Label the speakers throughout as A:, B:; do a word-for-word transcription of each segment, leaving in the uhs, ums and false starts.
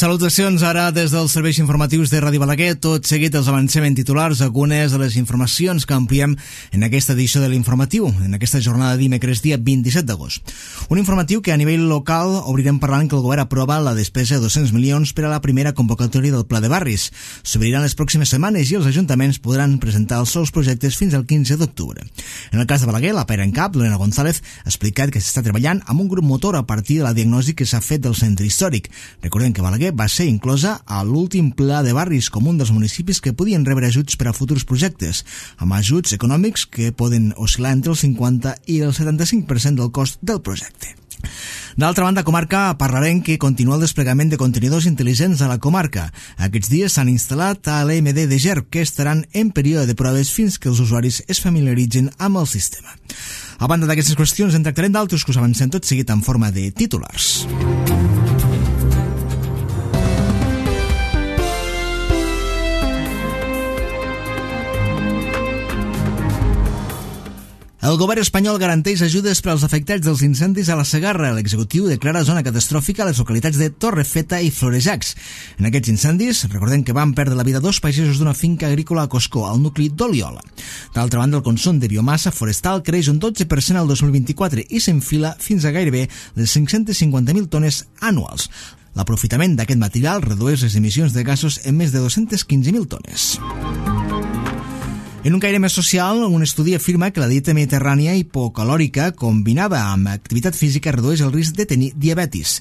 A: Salutacions ara des dels serveis informatius de Ràdio Balaguer. Tot seguit els avancem en titulars algunes de les informacions que ampliem en aquesta edició de l'informatiu, en aquesta jornada de dimecres dia vint-i-set d'agost. Un informatiu que a nivell local obrirem parlant que el govern aprova la despesa de dos-cents milions per a la primera convocatòria del Pla de Barris. S'obriran les pròximes setmanes i els ajuntaments podran presentar els seus projectes fins al quinze d'octubre. En el cas de Balaguer, la pera en cap, Lorena González, ha explicat que s'està treballant amb un grup motor a partir de la diagnosi que s'ha fet del centre històric. Recordem que Balaguer va ser inclosa a l'últim pla de barris com un dels municipis que podien rebre ajuts per a futurs projectes, amb ajuts econòmics que poden oscil·lar entre el cinquanta i el setanta-cinc per cent del cost del projecte. D'altra banda, comarca, parlarem que continua el desplegament de contenidors intel·ligents a la comarca. Aquests dies s'han instal·lat a l'E M D de Gerb, que estaran en període de proves fins que els usuaris es familiaritzin amb el sistema. A banda d'aquestes qüestions, en tractarem d'altres que us avancem tot seguit en forma de titulars. El govern espanyol garanteix ajudes per als afectats dels incendis a la Segarra. L'executiu declara zona catastròfica a les localitats de Torrefeta i Florejacs. En aquests incendis, recordem que van perdre la vida dos pagesos d'una finca agrícola a Coscó, al nucli d'Oliola. D'altra banda, el consum de biomassa forestal creix un dotze per cent al dos mil vint-i-quatre i s'enfila fins a gairebé les cinc-centes cinquanta mil tones anuals. L'aprofitament d'aquest material redueix les emissions de gasos en més de dos-centes quinze mil tones. En un caire més social, un estudi afirma que la dieta mediterrània hipocalòrica combinada amb activitat física redueix el risc de tenir diabetis.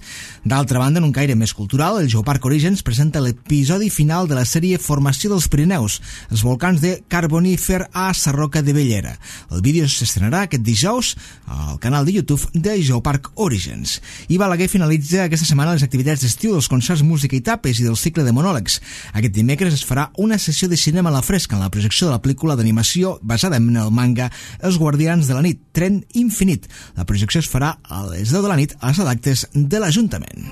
A: D'altra banda, en un caire més cultural, el Geoparc Orígens presenta l'episodi final de la sèrie Formació dels Pirineus, els volcans de Carbonífer a Sarroca de Bellera. El vídeo s'estrenarà aquest dijous al canal de YouTube de Geoparc Orígens. I Balaguer finalitza aquesta setmana les activitats d'estiu dels concerts Música i Tapes i del cicle de monòlegs. Aquest dimecres es farà una sessió de cinema a la fresca en la projecció de la pel·lícula d'animació basada en el manga Els Guardians de la Nit, Tren Infinit. La projecció es farà a les deu de la nit a les adactes de l'Ajuntament.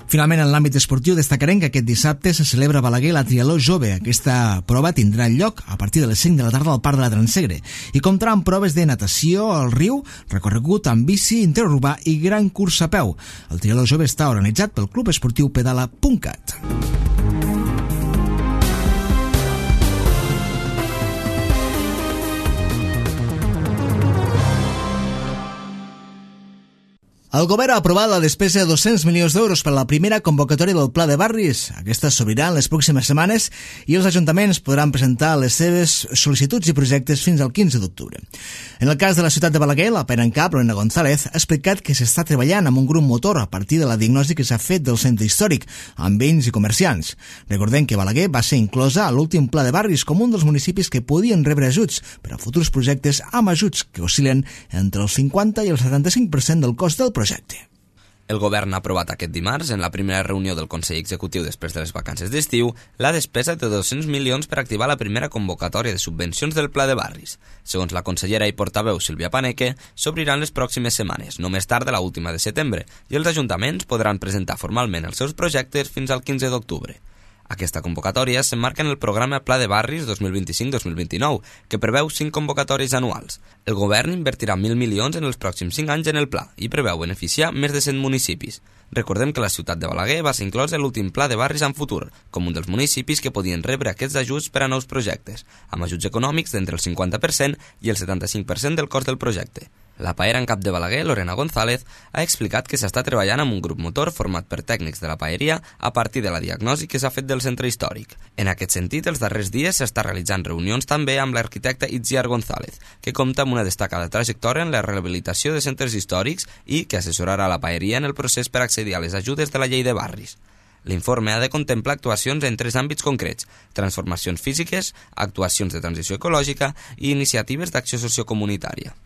A: Finalment, en l'àmbit esportiu, destacarem que aquest dissabte se celebra a Balaguer la Trialó Jove. Aquesta prova tindrà lloc a partir de les cinc de la tarda al Parc de la Transegre i comptarà amb proves de natació al riu, recorregut amb bici interurbà i gran curs a peu. El Trialó Jove està organitzat pel Club Esportiu Pedala punt cat. El govern ha aprovat la despesa de dos-cents milions d'euros per a la primera convocatòria del Pla de Barris. Aquesta s'obrirà en les pròximes setmanes i els ajuntaments podran presentar les seves sol·licituds i projectes fins al quinze d'octubre. En el cas de la ciutat de Balaguer, la pera en cap, Lorena González, ha explicat que s'està treballant amb un grup motor a partir de la diagnosi que s'ha fet del centre històric, amb veïns i comerciants. Recordem que Balaguer va ser inclosa a l'últim Pla de Barris com un dels municipis que podien rebre ajuts per a futurs projectes amb ajuts que oscil·len entre el cinquanta i el setanta-cinc per cent del cost del projecte. projecte.
B: El govern ha aprovat aquest dimarts, en la primera reunió del Consell Executiu després de les vacances d'estiu, la despesa de dos-cents milions per activar la primera convocatòria de subvencions del Pla de Barris. Segons la consellera i portaveu Sílvia Paneque, s'obriran les pròximes setmanes, no més tard de la última de setembre, i els ajuntaments podran presentar formalment els seus projectes fins al quinze d'octubre. Aquesta convocatòria s'emmarca en el programa Pla de Barris dos mil vint-i-cinc dos mil vint-i-nou, que preveu cinc convocatòries anuals. El govern invertirà mil milions en els pròxims cinc anys en el pla i preveu beneficiar més de cent municipis. Recordem que la ciutat de Balaguer va ser inclosa en l'últim Pla de Barris en futur, com un dels municipis que podien rebre aquests ajuts per a nous projectes, amb ajuts econòmics d'entre el cinquanta per cent i el setanta-cinc per cent del cost del projecte. La paera en cap de Balaguer, Lorena González, ha explicat que s'està treballant amb un grup motor format per tècnics de la paeria a partir de la diagnosi que s'ha fet del centre històric. En aquest sentit, els darrers dies s'està realitzant reunions també amb l'arquitecte Itziar González, que compta amb una destacada trajectòria en la rehabilitació de centres històrics i que assessorarà la paeria en el procés per accedir a les ajudes de la llei de barris. L'informe ha de contemplar actuacions en tres àmbits concrets: transformacions físiques, actuacions de transició ecològica i iniciatives d'acció sociocomunitària.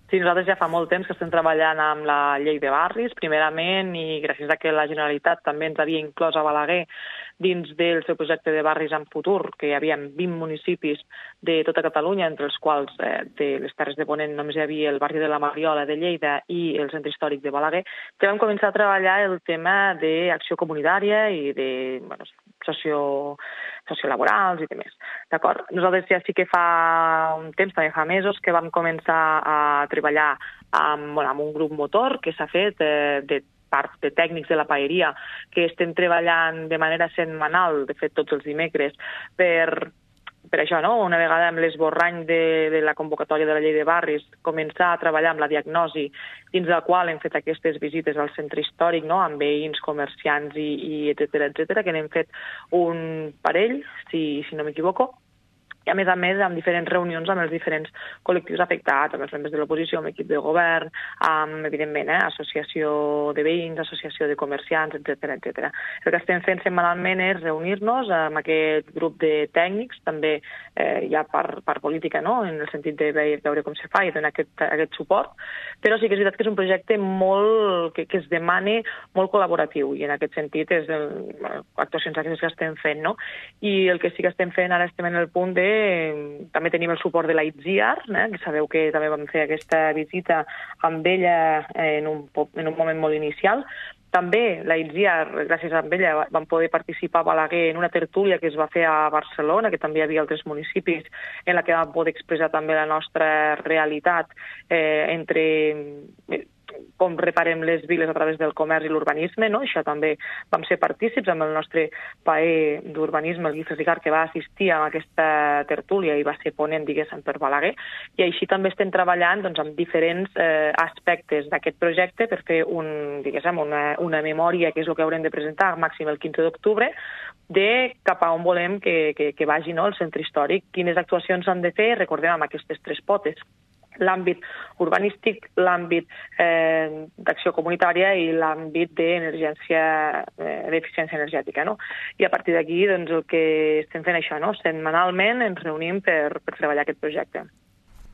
C: Sí, nosaltres ja fa molt temps que estem treballant amb la llei de barris, primerament, i gràcies a que la Generalitat també ens havia inclòs a Balaguer dins del seu projecte de barris en futur, que hi havia vint municipis de tota Catalunya, entre els quals eh, de les Terres de Ponent només hi havia el barri de la Mariola de Lleida i el centre històric de Balaguer, que vam començar a treballar el tema d'acció comunitària i de bueno, socio, sociolaborals i demés. D'acord? Nosaltres ja sí que fa un temps, també fa mesos, que vam començar a treballar amb, bueno, amb un grup motor que s'ha fet eh, de part de tècnics de la paeria que estem treballant de manera setmanal, de fet tots els dimecres, per... Per això, no? Una vegada amb l'esborrany de, de la convocatòria de la llei de barris, començar a treballar amb la diagnosi, dins la qual hem fet aquestes visites al centre històric, no? Amb veïns, comerciants i, i etcètera, etcètera, que n'hem fet un parell, si, si no m'equivoco, i a més a més amb diferents reunions amb els diferents col·lectius afectats, amb els membres de l'oposició, amb l'equip de govern, amb, evidentment, eh, associació de veïns, associació de comerciants, etcètera, etcètera. El que estem fent setmanalment és reunir-nos amb aquest grup de tècnics, també eh, ja per, per política, no?, en el sentit de veure com se fa i donar aquest, aquest suport, però sí que és veritat que és un projecte molt, que, que es demana molt col·laboratiu, i en aquest sentit és el, actuacions aquestes que estem fent, no? I el que sí que estem fent, ara estem en el punt de també tenim el suport de la Itziar, eh, que sabeu que també vam fer aquesta visita amb ella en un, en un moment molt inicial. També la Itziar, gràcies a ella, vam poder participar a Balaguer en una tertúlia que es va fer a Barcelona, que també hi havia altres municipis, en la que vam poder expressar també la nostra realitat eh, entre... com reparem les viles a través del comerç i l'urbanisme, no? Això també vam ser partícips amb el nostre paer d'urbanisme, el Guifres Ricard, que va assistir a aquesta tertúlia i va ser ponent, diguéssim, per Balaguer, i així també estem treballant doncs, amb diferents eh, aspectes d'aquest projecte per fer un, diguéssim, una, una memòria, que és el que haurem de presentar màxim el quinze d'octubre, de cap a on volem que, que, que vagi, no?, el centre històric, quines actuacions s'han de fer, recordem, amb aquestes tres potes: l'àmbit urbanístic, l'àmbit eh, d'acció comunitària i l'àmbit d'emergència, eh, d'eficiència energètica, no? I a partir d'aquí, doncs, el que estem fent això, no? Setmanalment ens reunim per, per treballar aquest projecte.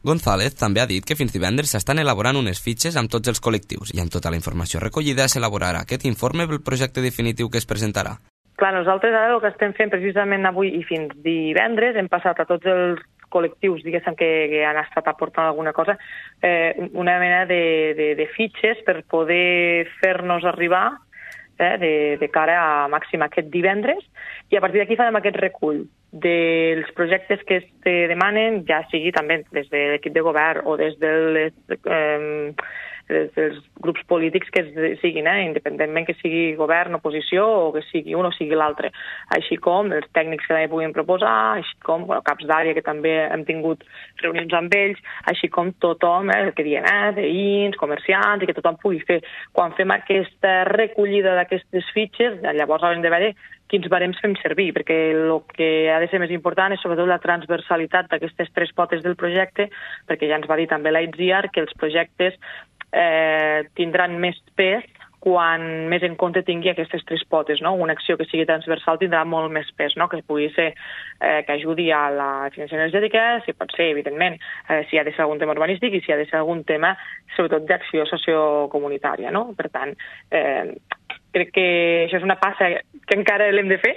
B: González també ha dit que fins divendres s'estan elaborant unes fitxes amb tots els col·lectius i amb tota la informació recollida s'elaborarà aquest informe pel projecte definitiu que es presentarà.
C: Clar, nosaltres ara el que estem fent precisament avui i fins divendres hem passat a tots els col·lectius, diguéssim, que, que han estat aportant alguna cosa, eh, una mena de, de, de fitxes per poder fer-nos arribar eh, de, de cara a màxim aquest divendres, i a partir d'aquí farem aquest recull dels projectes que es demanen, ja sigui també des de l'equip de govern o des de les... Eh, dels grups polítics que siguin, eh, independentment que sigui govern, oposició o que sigui un o sigui l'altre, així com els tècnics que també puguin proposar, així com bueno, caps d'àrea que també hem tingut reunions amb ells, així com tothom, eh, el que diem, eh, veïns, comerciants, i que tothom pugui fer. Quan fem aquesta recollida d'aquestes fitxes, llavors haurem de veure quins barems fem servir, perquè el que ha de ser més important és sobretot la transversalitat d'aquestes tres potes del projecte, perquè ja ens va dir també la Itziar que els projectes Eh, tindran més pes quan més en compte tingui aquestes tres potes, no? Una acció que sigui transversal tindrà molt més pes, no? Que pugui ser eh, que ajudi a la eficiència energètica, si pot ser, evidentment, eh, si ha de ser algun tema urbanístic i si ha de ser algun tema, sobretot, d'acció sociocomunitària, no? Per tant, eh, crec que això és una passa que encara l'hem de fer,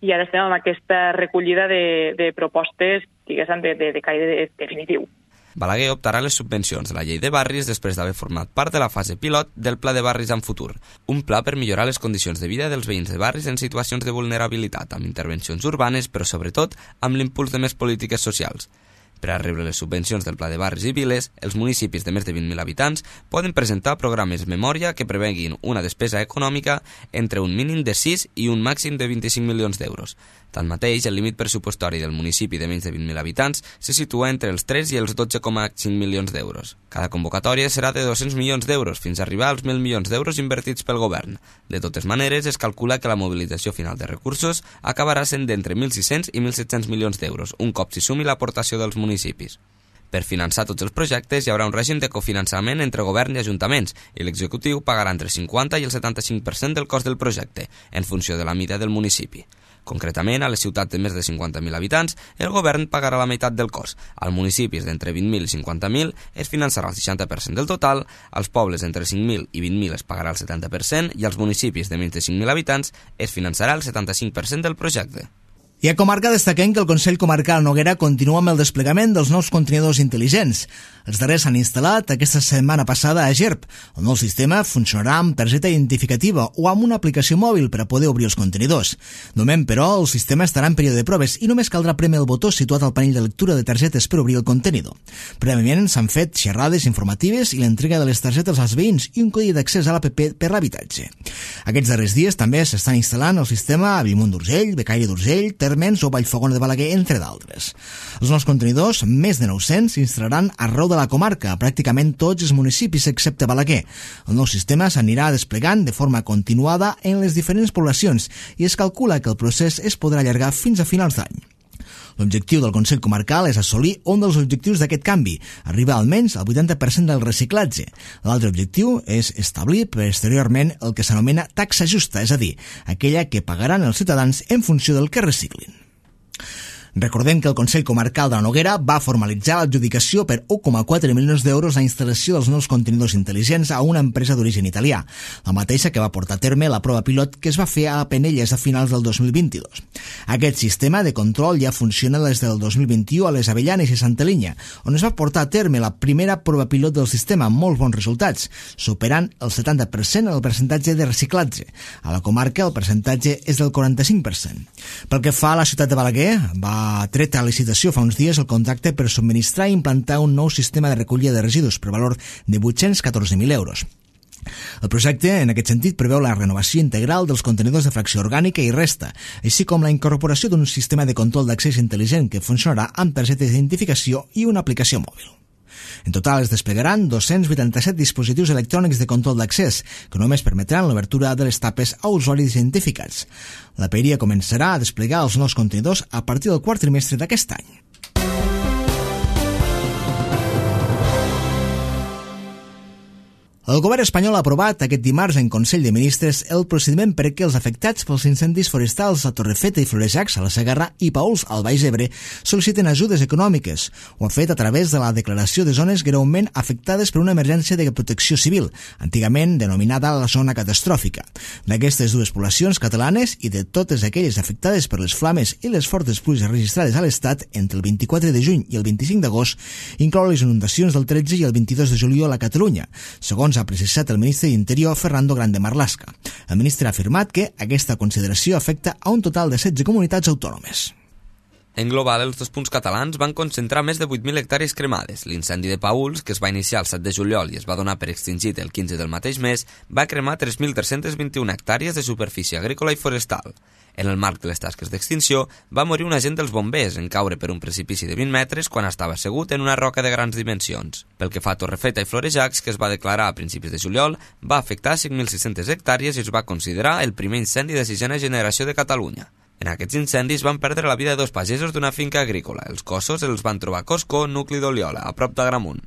C: i ara estem amb aquesta recollida de, de propostes, diguéssim, de, de, de caire definitiu.
B: Balaguer optarà a les subvencions de la llei de barris després d'haver format part de la fase pilot del Pla de Barris en Futur, un pla per millorar les condicions de vida dels veïns de barris en situacions de vulnerabilitat, amb intervencions urbanes, però sobretot amb l'impuls de més polítiques socials. Per a rebre les subvencions del Pla de Barris i Viles, els municipis de més de vint mil habitants poden presentar programes memòria que preveguin una despesa econòmica entre un mínim de sis i un màxim de vint-i-cinc milions d'euros. Tanmateix, el límit pressupostori del municipi de menys de vint mil habitants se situa entre els tres i els dotze coma cinc milions d'euros. Cada convocatòria serà de dos-cents milions d'euros, fins a arribar als mil milions d'euros invertits pel govern. De totes maneres, es calcula que la mobilització final de recursos acabarà sent d'entre mil sis-cents i mil set-cents milions d'euros, un cop s'hi sumi l'aportació dels municipis. Per finançar tots els projectes hi haurà un règim de cofinançament entre govern i ajuntaments i l'executiu pagarà entre el cinquanta i el setanta-cinc per cent del cost del projecte, en funció de la mida del municipi. Concretament, a les ciutats de més de cinquanta mil habitants, el govern pagarà la meitat del cost. Als municipis d'entre vint mil i cinquanta mil es finançarà el seixanta per cent del total, als pobles entre cinc mil i vint mil es pagarà el setanta per cent i als municipis de menys de cinc mil habitants es finançarà el setanta-cinc per cent del projecte.
A: I a comarca destaquem que el Consell Comarcal Noguera continua amb el desplegament dels nous contenidors intel·ligents. Els darrers s'han instal·lat aquesta setmana passada a Gerb. El nou sistema funcionarà amb targeta identificativa o amb una aplicació mòbil per a poder obrir els contenidors. De moment, però, el sistema estarà en període de proves i només caldrà prémer el botó situat al panell de lectura de targetes per obrir el contenidor. Prèviament s'han fet xerrades informatives i l'entrega de les targetes als veïns i un codi d'accés a l'A P P per l'habitatge. Aquests darrers dies també s'estan instal·lant el sistema a Bellmunt d'Urgell, Becaire d'Urgell, Térmens o Vallfogona de Balaguer, entre d'altres. Els nous contenidors, més de nou-cents, s'instal·laran arreu de la comarca, pràcticament tots els municipis excepte Balaguer. El nou sistema s'anirà desplegant de forma continuada en les diferents poblacions i es calcula que el procés es podrà allargar fins a finals d'any. L'objectiu del Consell Comarcal és assolir un dels objectius d'aquest canvi, arribar almenys al vuitanta per cent del reciclatge. L'altre objectiu és establir posteriorment el que s'anomena taxa justa, és a dir, aquella que pagaran els ciutadans en funció del que reciclin. Recordem que el Consell Comarcal de la Noguera va formalitzar l'adjudicació per un coma quatre milions d'euros la instal·lació dels nous contenidors intel·ligents a una empresa d'origen italià, la mateixa que va portar a terme la prova pilot que es va fer a Penelles a finals del dos mil vint-i-dos. Aquest sistema de control ja funciona des del dos mil vint-i-u a les Avellanes i Santa Linya, on es va portar a terme la primera prova pilot del sistema amb molts bons resultats, superant el setanta per cent el percentatge de reciclatge. A la comarca el percentatge és del quaranta-cinc per cent. Pel que fa a la ciutat de Balaguer, va tret a licitació fa uns dies el contracte per subministrar i implantar un nou sistema de recollida de residus per valor de vuit-cents catorze mil euros. El projecte, en aquest sentit, preveu la renovació integral dels contenidors de fracció orgànica i resta, així com la incorporació d'un sistema de control d'accés intel·ligent que funcionarà amb targetes d'identificació i una aplicació mòbil. En total es desplegaran dos-cents vuitanta-set dispositius electrònics de control d'accés, que només permetran l'obertura de les tapes a usuaris identificats. La peria començarà a desplegar els nous contenidors a partir del quart trimestre d'aquest any. El govern espanyol ha aprovat aquest dimarts en Consell de Ministres el procediment perquè els afectats pels incendis forestals a Torrefeta i Florejacs, a la Segarra, i Paüls, al Baix Ebre, sol·liciten ajudes econòmiques. Ho ha fet a través de la declaració de zones greument afectades per una emergència de protecció civil, antigament denominada la zona catastròfica. D'aquestes dues poblacions catalanes i de totes aquelles afectades per les flames i les fortes pluges registrades a l'Estat entre el vint-i-quatre de juny i el vint-i-cinc d'agost, inclou les inundacions del tretze i el vint-i-dos de juliol a Catalunya, segons ha precisat el ministre d'Interior Fernando Grande Marlaska. El ministre ha afirmat que aquesta consideració afecta a un total de setze comunitats autònomes.
B: En global, els dos punts catalans van concentrar més de vuit mil hectàrees cremades. L'incendi de Paüls, que es va iniciar el set de juliol i es va donar per extingit el quinze del mateix mes, va cremar tres mil tres-cents vint-i-u hectàrees de superfície agrícola i forestal. En el marc de les tasques d'extinció, va morir un agent dels bombers en caure per un precipici de vint metres quan estava assegut en una roca de grans dimensions. Pel que fa a Torrefeta i Florejacs, que es va declarar a principis de juliol, va afectar cinc mil sis-centes hectàrees i es va considerar el primer incendi de sisena generació de Catalunya. En aquests incendis van perdre la vida dos pagesos d'una finca agrícola. Els cossos els van trobar a Coscó, nucli d'Oliola, a prop d'Agramunt.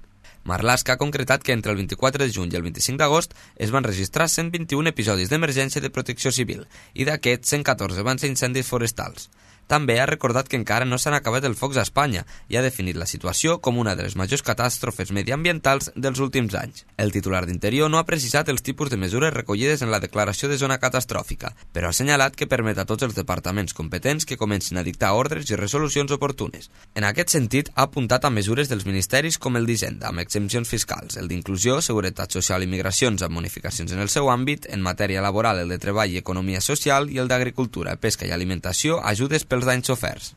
B: Marlaska ha concretat que entre el vint-i-quatre de juny i el vint-i-cinc d'agost es van registrar cent vint-i-un episodis d'emergència de protecció civil i d'aquests cent catorze van ser incendis forestals. També ha recordat que encara no s'han acabat els focs a Espanya i ha definit la situació com una de les majors catàstrofes mediambientals dels últims anys. El titular d'Interior no ha precisat els tipus de mesures recollides en la declaració de zona catastròfica, però ha assenyalat que permet a tots els departaments competents que comencin a dictar ordres i resolucions oportunes. En aquest sentit, ha apuntat a mesures dels ministeris com el d'Hisenda, amb exempcions fiscals, el d'Inclusió, Seguretat Social i Migracions, amb bonificacions en el seu àmbit, en matèria laboral el de Treball i Economia Social i el d'Agricultura, Pesca i Alimentació, ajudes per els danys soferts.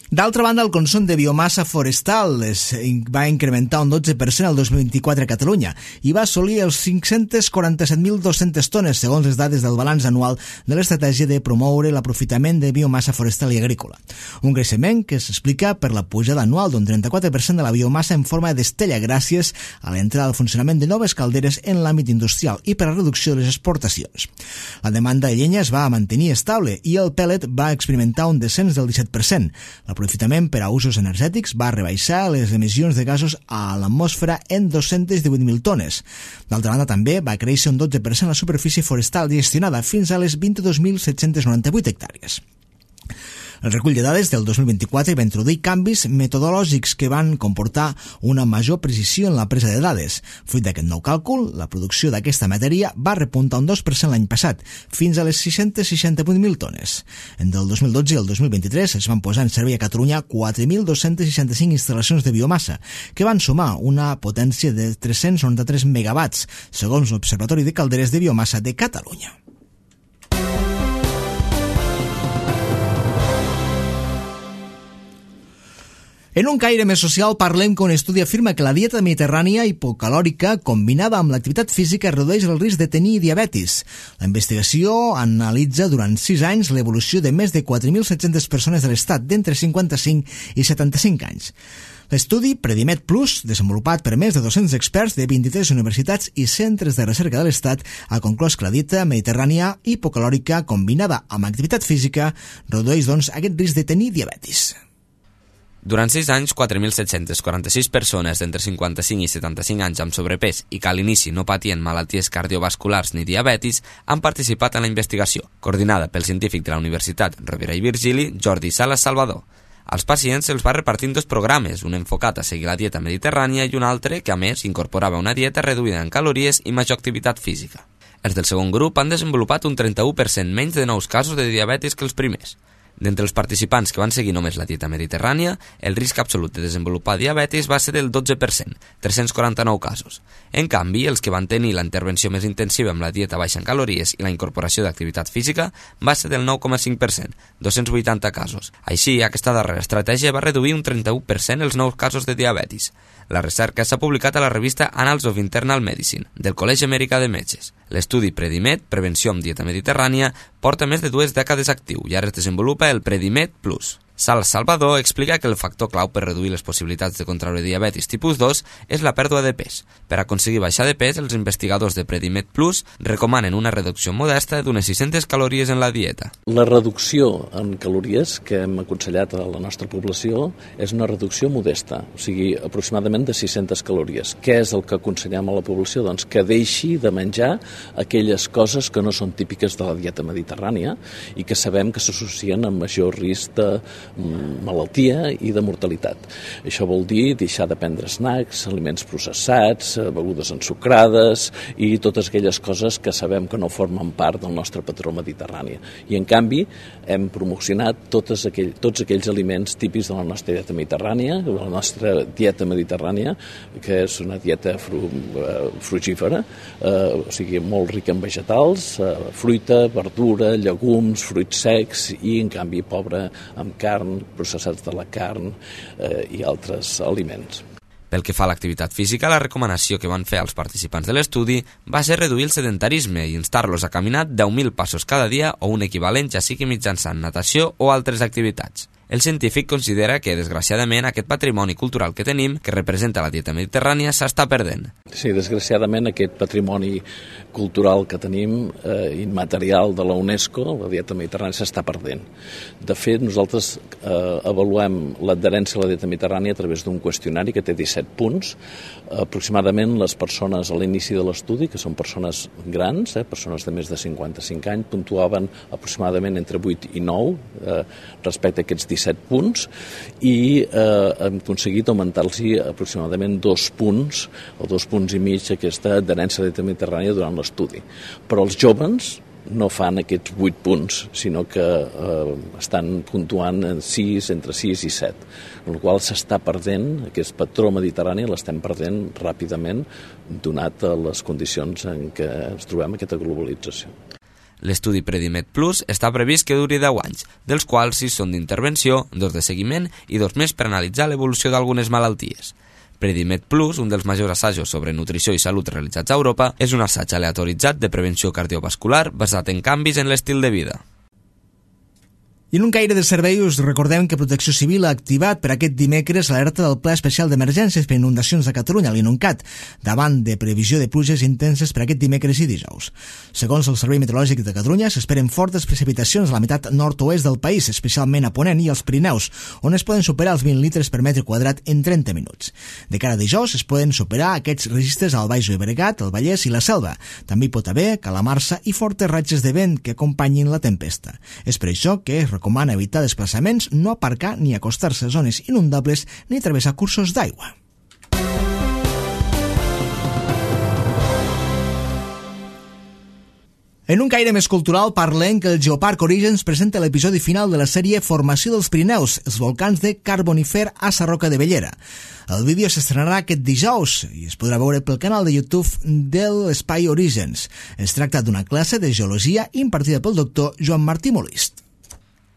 A: D'altra banda, el consum de biomassa forestal es va incrementar un dotze per cent el dos mil vint-i-quatre a Catalunya i va assolir els cinc-cents quaranta-set mil dos-cents tones, segons les dades del balanç anual de l'estratègia de promoure l'aprofitament de biomassa forestal i agrícola. Un creixement que s'explica per la pujada anual d'un trenta-quatre per cent de la biomassa en forma d'estella gràcies a l'entrada al funcionament de noves calderes en l'àmbit industrial i per la reducció de les exportacions. La demanda de llenya es va mantenir estable i el pèl·let va experimentar un descens del disset per cent. L'aprofitament per a usos energètics va rebaixar les emissions de gasos a l'atmosfera en dos-cents divuit mil tones. D'altra banda, també va créixer un dotze per cent la superfície forestal gestionada fins a les vint-i-dos mil set-cents noranta-vuit hectàrees. El recull de dades del dos mil vint-i-quatre va introduir canvis metodològics que van comportar una major precisió en la presa de dades. Fruit d'aquest nou càlcul, la producció d'aquesta matèria va repuntar un dos per cent l'any passat, fins a les sis-cents seixanta-vuit mil tones. Entre el dos mil dotze i el dos mil vint-i-tres es van posar en servei a Catalunya quatre mil dos-cents seixanta-cinc instal·lacions de biomassa, que van sumar una potència de tres-cents noranta-tres megawatts, segons l'Observatori de Calderes de Biomassa de Catalunya. En un caire més social parlem que un estudi afirma que la dieta mediterrània hipocalòrica combinada amb l'activitat física redueix el risc de tenir diabetis. La investigació analitza durant sis anys l'evolució de més de quatre mil set-centes persones de l'estat d'entre cinquanta-cinc i setanta-cinc anys. L'estudi Predimed Plus, desenvolupat per més de dos-cents experts de vint-i-tres universitats i centres de recerca de l'Estat, ha conclòs que la dieta mediterrània hipocalòrica combinada amb activitat física redueix, doncs, aquest risc de tenir diabetis.
B: Durant sis anys, quatre mil set-cents quaranta-sis persones d'entre cinquanta-cinc i setanta-cinc anys amb sobrepès i que a l'inici no patien malalties cardiovasculars ni diabetis han participat en la investigació, coordinada pel científic de la Universitat Rovira i Virgili, Jordi Salas Salvador. Als pacients se'ls va repartir en dos programes, un enfocat a seguir la dieta mediterrània i un altre que, a més, incorporava una dieta reduïda en calories i major activitat física. Els del segon grup han desenvolupat un trenta-u per cent menys de nous casos de diabetis que els primers. D'entre els participants que van seguir només la dieta mediterrània, el risc absolut de desenvolupar diabetis va ser del dotze per cent, tres-cents quaranta-nou casos. En canvi, els que van tenir la intervenció més intensiva amb la dieta baixa en calories i la incorporació d'activitat física va ser del nou coma cinc per cent, dos-cents vuitanta casos. Així, aquesta darrera estratègia va reduir un trenta-u per cent els nous casos de diabetis. La recerca s'ha publicat a la revista Annals of Internal Medicine, del Col·legi Americà de Metges. L'estudi Predimed, Prevenció amb dieta mediterrània, porta més de dues dècades actiu i ara es desenvolupa el Predimed Plus. Sal Salvador explica que el factor clau per reduir les possibilitats de contraure diabetis tipus dos és la pèrdua de pes. Per aconseguir baixar de pes, els investigadors de Predimed Plus recomanen una reducció modesta d'unes sis-centes calories en la dieta.
D: La reducció en calories que hem aconsellat a la nostra població és una reducció modesta, o sigui, aproximadament de sis-centes calories. Què és el que aconsellem a la població? Doncs que deixi de menjar aquelles coses que no són típiques de la dieta mediterrània i que sabem que s'associen amb major risc de malaltia i de mortalitat. Això vol dir deixar de prendre snacks, aliments processats, begudes ensucrades i totes aquelles coses que sabem que no formen part del nostre patró mediterrani. I en canvi hem promocionat tots aquell, tots aquells aliments típics de la nostra dieta mediterrània, de la nostra dieta mediterrània, que és una dieta fru, frugífera, eh, o sigui, molt rica en vegetals, eh, fruita, verdura, llegums, fruits secs i en canvi pobra amb carn, processats de la carn eh, i altres aliments.
B: Pel que fa a l'activitat física, la recomanació que van fer als participants de l'estudi va ser reduir el sedentarisme i instar-los a caminar deu mil passos cada dia o un equivalent, ja sigui mitjançant natació o altres activitats. El científic considera que, desgraciadament, aquest patrimoni cultural que tenim, que representa la dieta mediterrània, s'està perdent.
D: Sí, desgraciadament, aquest patrimoni cultural que tenim, eh, immaterial de la UNESCO, la dieta mediterrània, s'està perdent. De fet, nosaltres eh, avaluem l'adherència a la dieta mediterrània a través d'un qüestionari que té disset punts. Aproximadament les persones a l'inici de l'estudi, que són persones grans, eh, persones de més de cinquanta-cinc anys, puntuaven aproximadament entre vuit i nou eh, respecte a aquests disset punts i eh, hem aconseguit augmentar-los aproximadament dos punts o dos punts i mig aquesta adherència a la dieta mediterrània durant l'estudi. Però els joves no fan aquests vuit punts, sinó que eh, estan puntuant en sis, entre sis i set, amb la qual s'està perdent, aquest patró mediterrani l'estem perdent ràpidament, donat a les condicions en què ens trobem aquesta globalització.
B: L'estudi Predimed Plus està previst que duri deu anys, dels quals sis són d'intervenció, dos de seguiment i dos més per analitzar l'evolució d'algunes malalties. Predimed Plus, un dels majors assajos sobre nutrició i salut realitzats a Europa, és un assaig aleatoritzat de prevenció cardiovascular basat en canvis en l'estil de vida.
A: I en un caire de servei us recordem que Protecció Civil ha activat per aquest dimecres l'alerta del Pla Especial d'Emergències per Inundacions de Catalunya, l'INUNCAT, davant de previsió de pluges intenses per aquest dimecres i dijous. Segons el Servei Meteorològic de Catalunya, s'esperen fortes precipitacions a la meitat nord-oest del país, especialment a Ponent i als Pirineus, on es poden superar els vint litres per metre quadrat en trenta minuts. De cara a dijous es poden superar aquests registres al Baix Llobregat, el Vallès i la Selva. També hi pot haver calamarsa i fortes ratxes de vent que acompanyin la tempesta. És per això que es recomana evitar desplaçaments, no aparcar ni acostar-se a zones inundables ni travessar cursos d'aigua. En un caire més cultural parlem que el Geoparc Orígens presenta l'episodi final de la sèrie Formació dels Pirineus, els volcans de Carbonifer a Sarroca de Bellera. El vídeo s'estrenarà aquest dijous i es podrà veure pel canal de YouTube de l'Espai Orígens. Es tracta d'una classe de geologia impartida pel doctor Joan Martí Molist.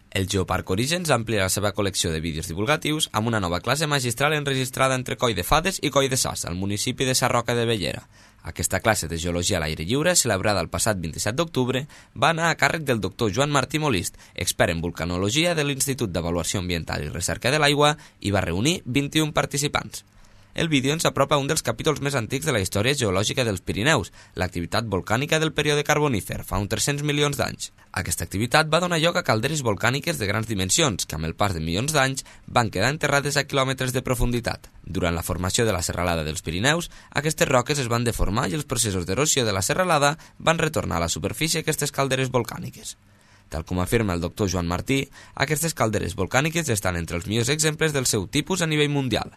B: El Geoparc Orígens amplia la seva col·lecció de vídeos divulgatius amb una nova classe magistral enregistrada entre Coll de Fades i Coll de Sas, al municipi de Sarroca de Bellera. Aquesta classe de geologia a l'aire lliure, celebrada el passat vint-i-set d'octubre, va anar a càrrec del doctor Joan Martí Molist, expert en vulcanologia de l'Institut d'Avaluació Ambiental i Recerca de l'Aigua, i va reunir vint-i-un participants. El vídeo ens apropa a un dels capítols més antics de la història geològica dels Pirineus, l'activitat volcànica del període carbonífer, fa uns tres-cents milions d'anys. Aquesta activitat va donar lloc a calderes volcàniques de grans dimensions, que amb el pas de milions d'anys van quedar enterrades a quilòmetres de profunditat. Durant la formació de la serralada dels Pirineus, aquestes roques es van deformar i els processos d'erosió de la serralada van retornar a la superfície aquestes calderes volcàniques. Tal com afirma el doctor Joan Martí, aquestes calderes volcàniques estan entre els millors exemples del seu tipus a nivell mundial.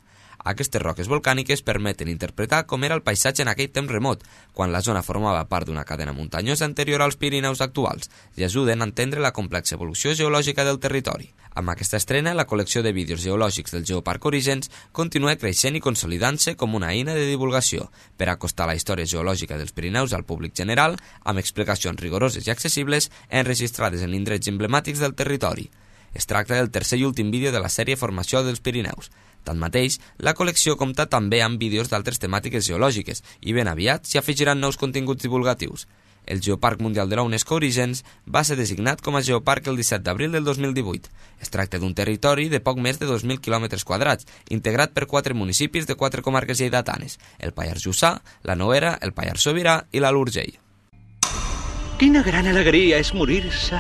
B: Aquestes roques volcàniques permeten interpretar com era el paisatge en aquell temps remot, quan la zona formava part d'una cadena muntanyosa anterior als Pirineus actuals, i ajuden a entendre la complexa evolució geològica del territori. Amb aquesta estrena, la col·lecció de vídeos geològics del Geoparc Orígens continua creixent i consolidant-se com una eina de divulgació per acostar la història geològica dels Pirineus al públic general, amb explicacions rigoroses i accessibles enregistrades en indrets emblemàtics del territori. Es tracta del tercer i últim vídeo de la sèrie Formació dels Pirineus. Tanmateix, la col·lecció compta també amb vídeos d'altres temàtiques geològiques i ben aviat s'hi afegiran nous continguts divulgatius. El Geoparc Mundial de la UNESCO Orígens va ser designat com a Geoparc el disset d'abril del dos mil divuit. Es tracta d'un territori de poc més de dos mil quilòmetres quadrats, integrat per quatre municipis de quatre comarques lleidatanes, el Pallars Jussà, la Noguera, el Pallars Sobirà i l'Alt Urgell.
E: Quina gran alegria és morir-se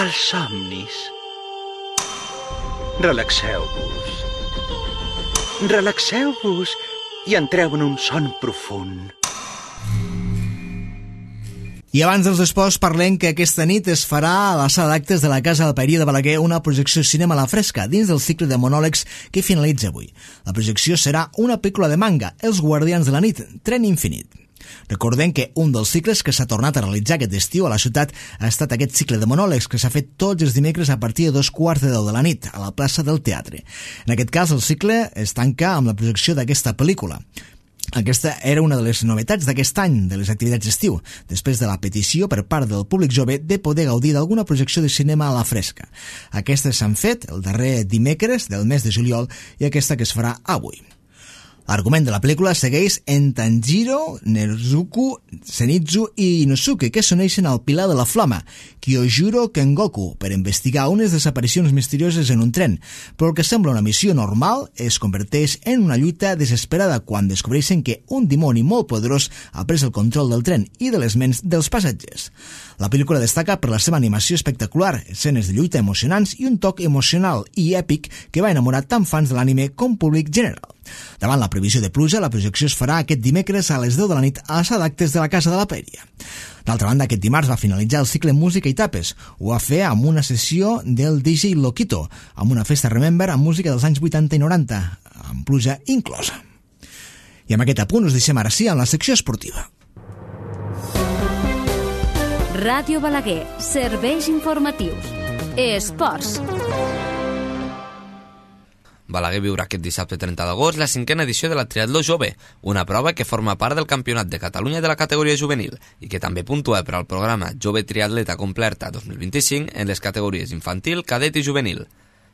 E: als somnis. Relaxeu-vos. Relaxeu-vos i entreu en un son profund.
A: I abans dels esports parlem que aquesta nit es farà a la sala d'actes de la Casa del Paeria de Balaguer una projecció cinema a la fresca dins del cicle de monòlegs que finalitza avui. La projecció serà una pel·lícula de manga, Els Guardians de la Nit, Tren Infinit. Recordem que un dels cicles que s'ha tornat a realitzar aquest estiu a la ciutat ha estat aquest cicle de monòlegs que s'ha fet tots els dimecres a partir de dos quarts de deu de la nit a la plaça del Teatre. En aquest cas, el cicle es tanca amb la projecció d'aquesta pel·lícula. Aquesta era una de les novetats d'aquest any de les activitats d'estiu, després de la petició per part del públic jove de poder gaudir d'alguna projecció de cinema a la fresca. Aquestes s'han fet el darrer dimecres del mes de juliol i aquesta que es farà avui. L'argument de la pel·lícula segueix en Tanjiro, Nezuko, Zenitsu i Inosuke, que s'uneixen al Pilar de la Flama, Kyojuro Kengoku, per investigar unes desaparicions misterioses en un tren, però el que sembla una missió normal es converteix en una lluita desesperada quan descobreixen que un dimoni molt poderós ha pres el control del tren i de les ments dels passatgers. La pel·lícula destaca per la seva animació espectacular, escenes de lluita emocionants i un toc emocional i èpic que va enamorar tant fans de l'anime com públic general. Davant la previsió de pluja, la projecció es farà aquest dimecres a les deu de la nit a la sala d'actes de la Casa de la Paeria. D'altra banda, aquest dimarts va finalitzar el cicle Música i Tapes. Ho va fer amb una sessió del D J Loquito, amb una festa Remember amb música dels anys vuitanta i noranta, amb pluja inclosa. I amb aquest apunt us deixem ara sí amb la secció esportiva.
F: Ràdio Balaguer, serveis informatius. Esports.
B: Balaguer viurà aquest dissabte trenta d'agost la cinquena edició de la Triatló Jove, una prova que forma part del Campionat de Catalunya de la categoria juvenil i que també puntua per al programa Jove Triatleta Completa dos mil vint-i-cinc en les categories infantil, cadet i juvenil.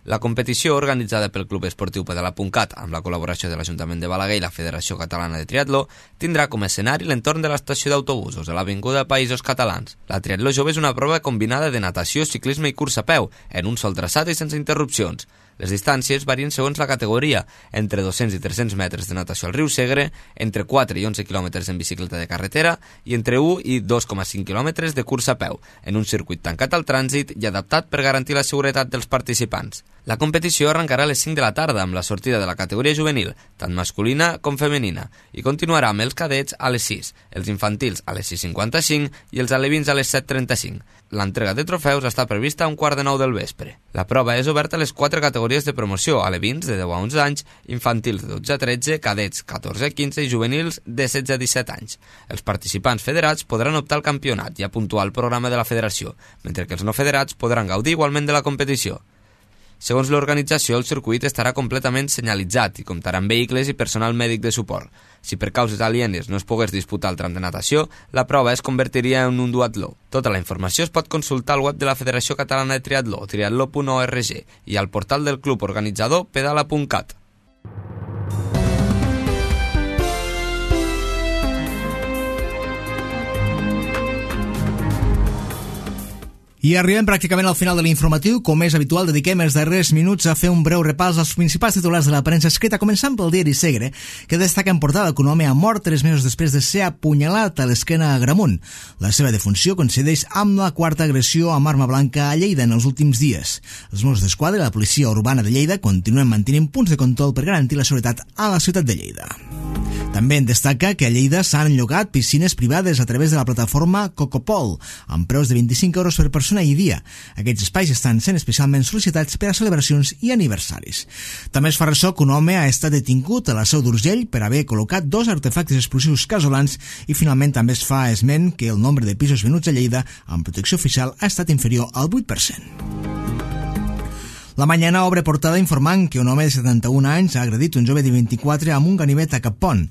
B: La competició, organitzada pel Club Esportiu Pedala.cat amb la col·laboració de l'Ajuntament de Balaguer i la Federació Catalana de Triatló, tindrà com a escenari l'entorn de l'estació d'autobusos a l'Avinguda Països Catalans. La Triatló Jove és una prova combinada de natació, ciclisme i curs a peu, en un sol traçat i sense interrupcions. Les distàncies varien segons la categoria, entre dos-cents i tres-cents metres de natació al riu Segre, entre quatre i onze quilòmetres en bicicleta de carretera i entre u i dos coma cinc quilòmetres de cursa a peu, en un circuit tancat al trànsit i adaptat per garantir la seguretat dels participants. La competició arrencarà a les cinc de la tarda amb la sortida de la categoria juvenil, tant masculina com femenina, i continuarà amb els cadets a les sis, els infantils a les sis cinquanta-cinc i els alevins a les set trenta-cinc. L'entrega de trofeus està prevista a un quart de nou del vespre. La prova és oberta a les quatre categories de promoció, alevins de deu a onze anys, infantils de dotze a tretze, cadets catorze a quinze i juvenils de setze a disset anys. Els participants federats podran optar al campionat i a puntuar el programa de la federació, mentre que els no federats podran gaudir igualment de la competició. Segons l'organització, el circuit estarà completament senyalitzat i comptarà amb vehicles i personal mèdic de suport. Si per causes alienes no es pogués disputar el tram de natació, la prova es convertiria en un duatló. Tota la informació es pot consultar al web de la Federació Catalana de Triatló, triatló punt org, i al portal del club organitzador pedala punt cat.
A: I arribem pràcticament al final de l'informatiu. Com és habitual, dediquem els darrers minuts a fer un breu repàs als principals titulars de la premsa escrita, començant pel diari Segre, que destaca en portada que un home ha mort tres mesos després de ser apunyalat a l'esquena a Agramunt. La seva defunció coincideix amb la quarta agressió amb arma blanca a Lleida en els últims dies. Els Mossos d'Esquadra i la policia urbana de Lleida continuen mantenint punts de control per garantir la seguretat a la ciutat de Lleida. També en destaca que a Lleida s'han llogat piscines privades a través de la plataforma Cocopol, amb preus de vint-i-cinc euros per persona i dia. Aquests espais estan sent especialment sol·licitats per a celebracions i aniversaris. També es fa ressò que un home ha estat detingut a la Seu d'Urgell per haver col·locat dos artefactes explosius casolans i finalment també es fa esment que el nombre de pisos venuts a Lleida amb protecció oficial ha estat inferior al vuit per cent. La Mañana obre portada informant que un home de setanta-un anys ha agredit un jove de vint-i-quatre amb un ganivet a Capont.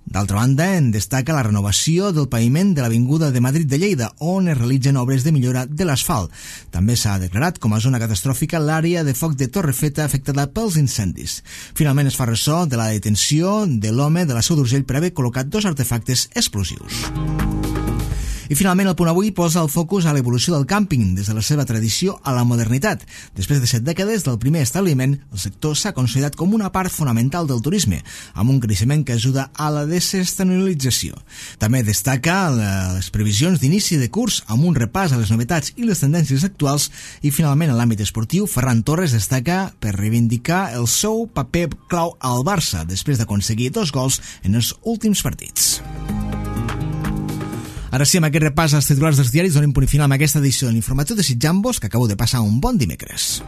A: D'altra banda, en destaca la renovació del paviment de l'Avinguda de Madrid de Lleida, on es realitzen obres de millora de l'asfalt. També s'ha declarat com a zona catastròfica l'àrea de foc de Torrefeta afectada pels incendis. Finalment es fa ressò de la detenció de l'home de la Seu d'Urgell per haver col·locat dos artefactes explosius. I finalment el Punt Avui posa el focus a l'evolució del càmping des de la seva tradició a la modernitat. Després de set dècades del primer establiment, el sector s'ha consolidat com una part fonamental del turisme, amb un creixement que ajuda a la desestacionalització. També destaca les previsions d'inici de curs amb un repàs a les novetats i les tendències actuals i finalment en l'àmbit esportiu, Ferran Torres destaca per reivindicar el seu paper clau al Barça després d'aconseguir dos gols en els últims partits. Ara sí, amb aquest repàs als titulars dels diaris donem punt final amb aquesta edició de l'informatiu, desitjant-vos que acabeu de passar un bon dimecres.